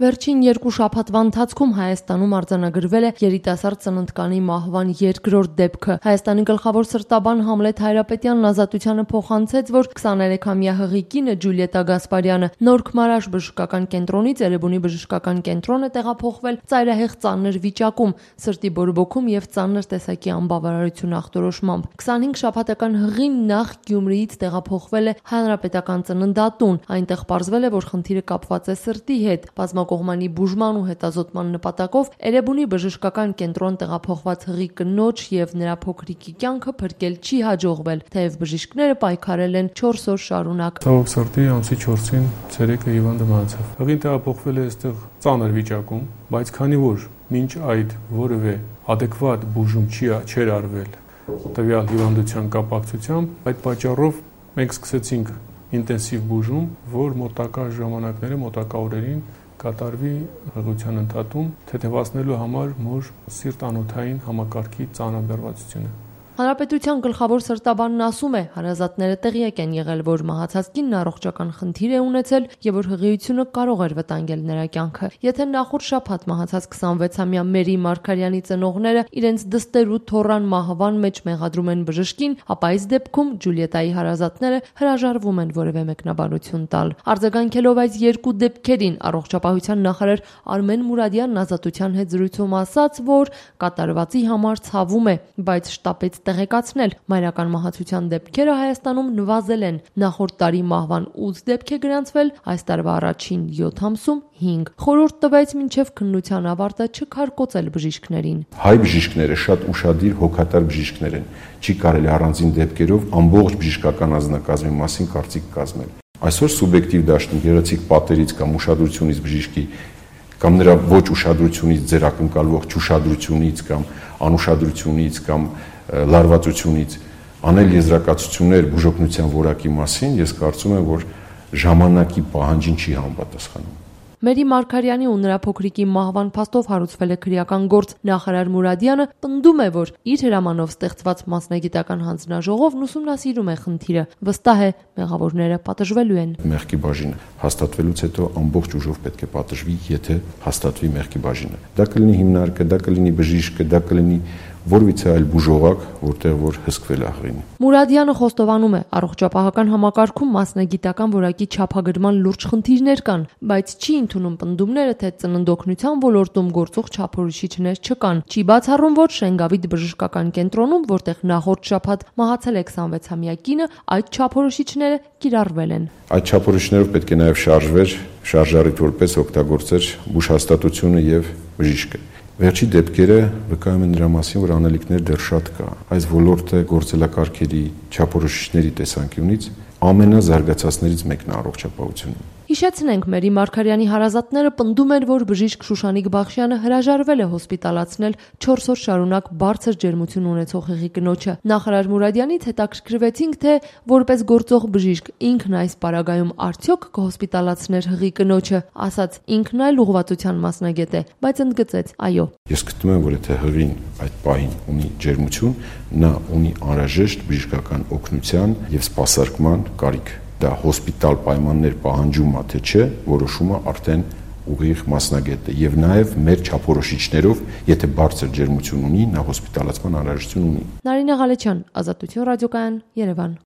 Վերջին 2 շաբաթվա ընթացքում Հայաստանում արձանագրվել է երիտասարդ ծննդկանի մահվան երկրորդ դեպքը։ Հայաստանի գլխավոր սրտաբան Համլետ Հայրապետյանն Ազատությանը փոխանցեց, որ 23-ամյա հղի կինը Ջուլիետա Գասպարյանը Նոր-Քմարաշ բժշկական կենտրոնից Էրեբունի բժշկական կենտրոն է տեղափոխվել ծայրահեղ ծանր վիճակում, սրտի բորբոքում եւ ծանր տեսակի անբավարարություն ախտորոշմամբ։ 25 շաբաթական հղին նախ Գյումրիից տեղափոխվել է Հանրապետական ծննդատուն։ Այնտեղ պարզվել է, որ խնդիրը կապված է սրտի հետ։ Կողմանի բուժման ու հետազոտման նպատակով Էրեբունի բժշկական կենտրոն տեղափոխված հղի կնոջ եւ նրա փոքրիկի կյանքը փրկել չի հաջողվել, թեև բժիշկները պայքարել են 4 օր շարունակ։ Ցավոք սրտի ամսի 4-ին ցերեկը հիվանդը մահացավ։ Հղին տեղափոխվել է այստեղ ծանր վիճակում, բայց քանի որ մինչ այդ որևէ adekvat բուժում չէր արվել տվյալ հիվանդության կապակցությամբ, այդ պատճառով մենք սկսեցինք ինտենսիվ բուժում, որ մոտակա ժամանակները, մոտակա օրերին կատարվի հղիության ընդհատում, թեթևացնելու համար մոր սիրտ-անոթային համակարգի ծանրաբեռվածությունը։ Հանրապետության գլխավոր սրտաբանն ասում է, հարազատները տեղյակ են եղել, որ մահացած կինն առողջական խնդիր է ունեցել եւ որ հղիությունը կարող էր վտանգել նրա կյանքը։ Եթե նախորդ շաբաթ մահացած 26-ամյա Մերի Մարգարյանի ծնողները իրենց դստեր ու թոռան մահվան մեջ մեղադրում են բժշկին, ապա այս դեպքում Ջուլիետայի հարազատները հրաժարվում են որևէ մեկնաբանություն տալ։ Արձագանքելով այս երկու դեպքերին, առողջապահության նախարար Արմեն Մուրադյանն Ազատության հետ զրույցում ասաց, որ կատարվածի համար ցավում է, բայց շտապեց տեղեկացնել, մայրական մահացության դեպքերը Հայաստանում նվազել են։ Նախորդ տարի մահվան 8 դեպք է գրանցվել, այս տարվա առաջին 7 ամսում 5։ Խորհուրդ տվեց մինչև քննության ավարտը չքարկոծել բժիշկներին։ Հայ բժիշկները շատ ուշադիր հոգատար բժիշկներ են։ Չի կարելի առանձին դեպքերով ամբողջ բժշկական անձնակազմի մասին կարծիք կազմել։ Այսօր սուբյեկտիվ դաշտում գեղեցիկ պատերից կամ ուշադրությունից բժիշկի կամ նրա ոչ ուշադրությունից ձեր ակնկալվող չուշադրությունից կամ անուշադրությունից կամ լարվածությունից անել եզրակացություններ բուժօգնության որակի մասին, ես կարծում եմ, որ ժամանակի պահանջին չի համապատասխանում։ Մերի Մարգարյանի ու նրա փոքրիկի մահվան փաստով հարուցվել է քրեական գործ։ Նախարար Մուրադյանը պնդում է, որ իր հրամանով ստեղծված մասնագիտական հանձնաժողովն ուսումնասիրում է խնդիրը։ Վստահ է, մեղավորները պատժվելու են։ Մեղքի բաժինը հաստատվելուց հետո ամբողջ ուժով պետք է պատժվի, եթե հաստատվի մեղքի բաժինը։ Դա կլինի հիմնարկը, դա կլինի բժիշկը, դա կլինի որևիցե այլ բուժողակ, որտեղ որ հսկվել է հղին։ Մուրադյանը խոստովանում է, առողջապահական համակարգում մասնագիտական որակի չափագրման լուրջ խնդիրներ կան, բայց չի ընդունում պնդումները, թե ծննդօգնության ոլորտում գործող չափորոշիչներ չկան։ Չի բացառում, որ Շենգավիթ բժշկական կենտրոնում, որտեղ նախորդ շաբաթ մահացել է 26-ամյա կինը, այդ չափորոշիչները կիրառվել են։ Այդ չափորոշիչներով պետք է նաև շարժվեր, շարժառիթ որպես օգտագործեր բուժհաստատությունը եւ բժիշկը։ Վերջի դեպքերը վկայում են նրա մասին, որ անելիքներ դեռ շատ կա։ Այս ոլորտը գործելակարգերի չափորոշիչների տեսանկյունից ամենազարգացածներից մեկն է առողջապահությունում։ Հիշեցնենք, Մերի Մարգարյանի հարազատները պնդում են, որ բժիշկ Շուշանիկ Բախշյանը հրաժարվել է հոսպիտալացնել 4 օր շարունակ բարձր ջերմություն ունեցող հղի կնոջը։ Նախարար Մուրադյանից հետաքրքրվեցինք, թե որպես գործող բժիշկ ինքն այս պարագայում արդյոք կհոսպիտալացներ հղի կնոջը, ասաց ինքն այլ ուղղվածության մասնագետ է, բայց ընդգծեց՝ այո։ Ես գտնում եմ, որ եթե հղին այդ պահին ունի ջերմություն, նա ունի անհրաժեշտ բժշկական օգնության եւ սպասարկման կարիք։ Դա հոսպիտալ պայմաններ պահանջում է, թե չէ, որոշումը արդեն ուղիղ մասնագետը եւ նաեւ մեր չափորոշիչներով, եթե բարձր ջերմություն ունի, նա հոսպիտալացման անհրաժեշտություն ունի։ Նարինե Ղալեչյան, Ազատություն ռադիոկայան, Երևան։